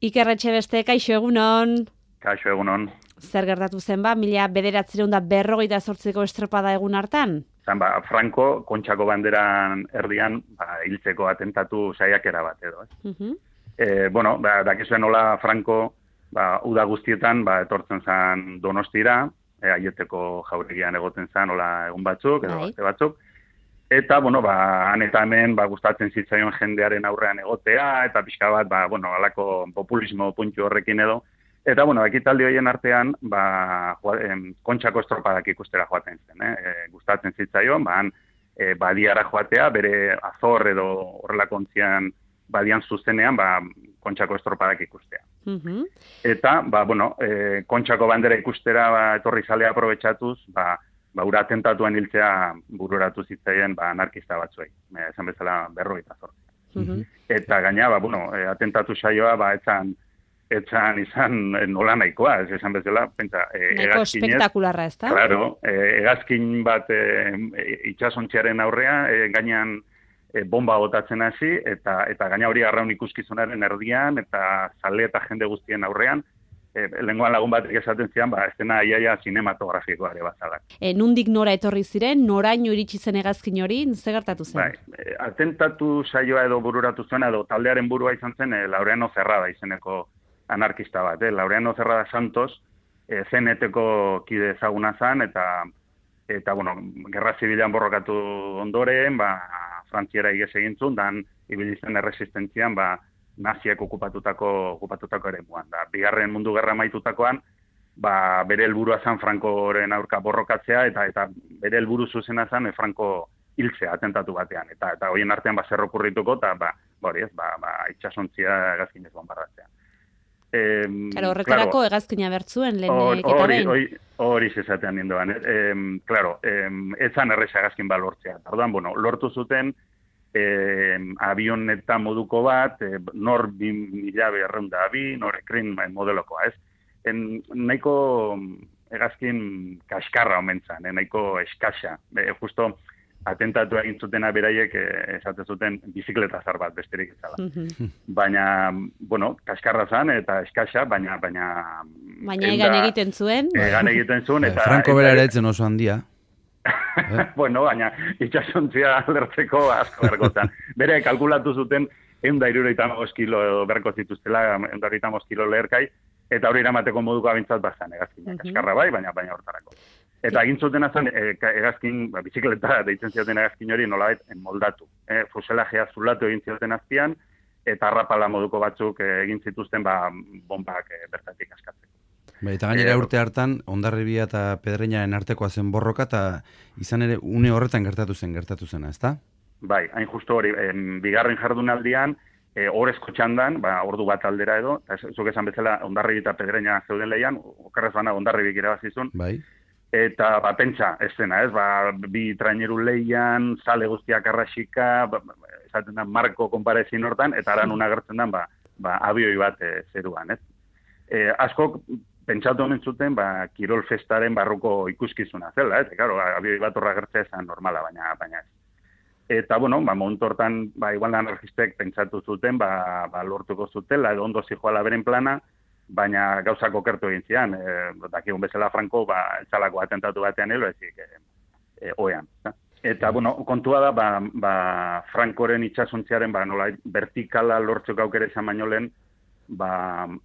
Iker Etxebeste, kaixo egunon. Kaixo egunon. Zer gertatu zen 1948ko estropada egun hartan? Franco, Kontxako banderan erdian, hiltzeko atentatu saiakera bat edo. Dakizuen nola Franco, uda guztietan, etortzen zen Donostira, Aieteko jauregian egoten zen, nola egun batzuk, edo beste batzuk. Eta, han eta hemen, gustatzen zitzaion jendearen aurrean egotea, eta pixka bat, alako populismo puntu horrekin edo. Eta, ekitaldi horien artean, Kontxako estropadak ikustera joaten zen. Gustatzen zitzaion, badiara joatea, bere Azor edo horrelako ontzian badian zuzenean, Kontxako estropadak ikustea. Eta, Kontxako bandera ikustera etorri zalea aprobetxatuz, ura atentatuan hiltzea bururatu zitzaien anarkista batzuei, esan bezala 48. Eta gaina, atentatu saioa, etzan izan nola nahikoa, esan bezala, nahiko espektakularra, ez da? Claro, hegazkin bat itxasontziaren aurrea, gainean bomba botatzen hasi, eta gaina hori arraun ikuskizunaren erdian, eta zale eta jende guztien aurrean, lenguan lagun bat esaten zian, estena iaia sinematografikoa ere bazalak. Nundik nora etorri ziren, noraino iritsi zen hegazkin hori, ze gertatu zen? Atentatu saioa edo bururatu zuena, edo taldearen burua izan zen, Laureano Zerrada izeneko anarkista bat. Laureano Zerrada Santos, CNT-ko kide ezaguna zen, eta gerra zibilan borrokatu ondoren, Frantziara igez egintzun, dan ibili zen erresistentzian, naziak okupatutako eremuan. Bigarren mundu gerra maitutakoan, bere helburua zen Frankoren aurka borrokatzea, eta bere helburu zuzena zen Franco hiltzea atentatu batean. Eta horien artean zer okurrituko, eta itxasontzia hegazkinez bonbardatzea. Horretarako hegazkina bertzuen lehen eketaren? Hori zezatean nindoan. Etzan erreza hegazkin balortzea. Lortu zuten avioneta moduko bat, nor 2.200 nor ekrin modelokoa, ez? Nahiko hegazkin kaskarra omen zen, nahiko eskasa. Justo atentatu egin zutena beraiek esaten zuten bizikleta zar bat besterik ezala. Baina, kaskarra zen eta eskasa, baina egan egiten zuen. Egan egiten zuen. Franco bera ere etzen oso handia. Baina itxasontzia lertzeko asko bergotan. Bere kalkulatu zuten 175 kilo edo berko zituztela, 175 kilo leherkai, eta hori eramateko moduko abintzat bazan hegazkinak. Kaskarra bai, baina hortarako. Eta egin zuten azan, hegazkin, bizikleta deitzen zioten hegazkin hori nolabait moldatu. Fuselajea zulatu egin zioten azpian, eta harrapala moduko batzuk egin zituzten bombak bertatik askatzeko. Eta gainera urte hartan, Hondarribia eta Pedreñaren artekoa zen borroka, eta izan ere une horretan gertatu zena, ezta? Bai, hain justu hori, bigarren jardunaldian, orezko txandan, ordu bat aldera edo, zuk esan bezala Hondarribia eta Pedreña zeuden lehian, okerrez bana Hondarribik irabazizun, bai. Eta, pentsa, ez zena, ez, bi traineru lehian, sale guztiak arrasika, esaten da, marko konparezin hortan, eta aran agertzen den, abioi bat zeruan, ez. Askok, pentsatu omen zuten, kirol festaren barruko ikuskizuna zela, ez, abioi bat horra gertzea esan normala, baina ez. Eta, momentu hortan, igual anarkistek pentsatu zuten, lortuko zutela, edo ondo zijoala beren plana, baina gauzak okertu egin zian, dakigun bezala Franco, etzalako atentatu batean helo, ezik, oean. Eta, kontua da, Francoren itxasontziaren, nola, vertikala lortzeko aukera izan baino lehen,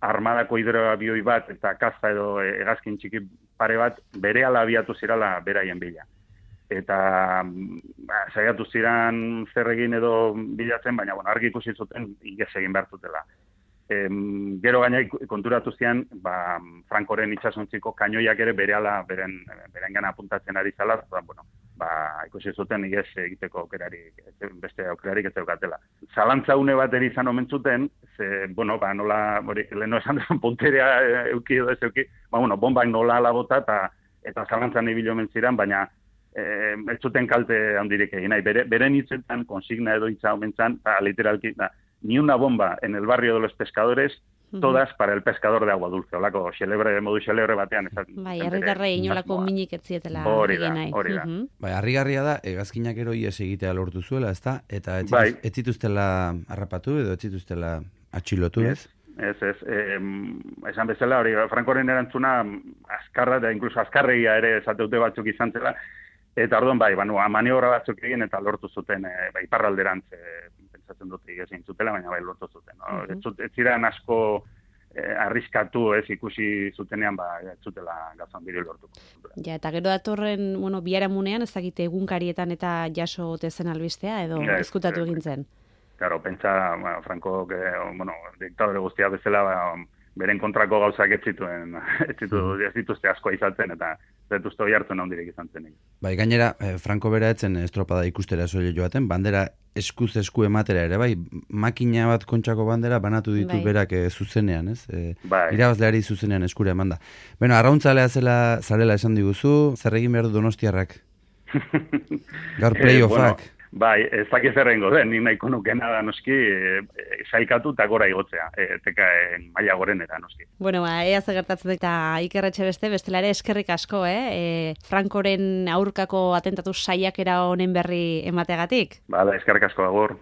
armadako hidroabioi bat, eta kaza edo hegazkin txiki pare bat, bere ala abiatu zirala beraien bila. Eta, saiatu ziran zer egin edo bilatzen, baina, argi ikusi zuten, igez egin behar zutela. Gero gaina konturatu zian, Francoren itxasontziko kainoiak ere berehala beren gana apuntatzen ari zala, ikusi zuten igez egiteko beste aukerarik ez daukatela. Zalantza une bat eri izan omen zuten, nola, leheno esan den punterea euki edo ez euki, bombak nola ala bota eta zalantzan ibilo omen ziren, baina ez zuten kalte handirik egin nahi. Beren hitzetan, konsigna edo hitza omen zan, literalki, ni una bomba en el barrio de los pescadores, todas para el pescador de agua dulce. Olako, modu xelebre batean. Herritarrei inolako minik ez zietela egin nahi. Hori da. Harrigarria da, hegazkinak ero ies egitea lortu zuela, ezta? Eta ez zituztela harrapatu edo ez zituztela atxilotu, ez? Esan bezala, hori, Frankoren erantzuna azkarra, da inkluso azkarregia ere esateute batzuk izan zela, eta orduan bai, maniobra batzuk egin eta lortu zuten, iparralderantz, pentsatzen dut egin zutela, baina bai lortu zuten. No? Ez ziren asko arriskatu, ez ikusi zutenean, ez zutela gazan biri lortuko. Ja, eta gero datorren, biharamunean, ez dakite egunkarietan eta jaso tezen albistea, edo ezkutatu egin zen. Claro, pentsa, Franco, diktadore guztia bezala, beren kontrako gauzak ez dituzte asko izatzen, eta zetuzte hori hartzen handirik izan zenik. Bai, gainera, Franco bera etzen estropada ikustera soile joaten, bandera eskuz esku ematera ere, bai, makina bat kontxako bandera banatu ditu berak zuzenean, ez? Irabazleari zuzenean eskura emanda. Bueno, arrauntzalea zarela esan diguzu, zer egin behar du Donostiarrak? Gaur playoffak. Bai, ez dakiz errengo den, nik nahiko nukena da noski, sailkatu eta gora igotzea, tekaen maila gorenera noski. Bueno, ea gertatzen eta Ikerretxe bestela ere eskerrik asko, Frankoren aurkako atentatu saiakera honen berri emateagatik. Bale, eskerrik asko, agur.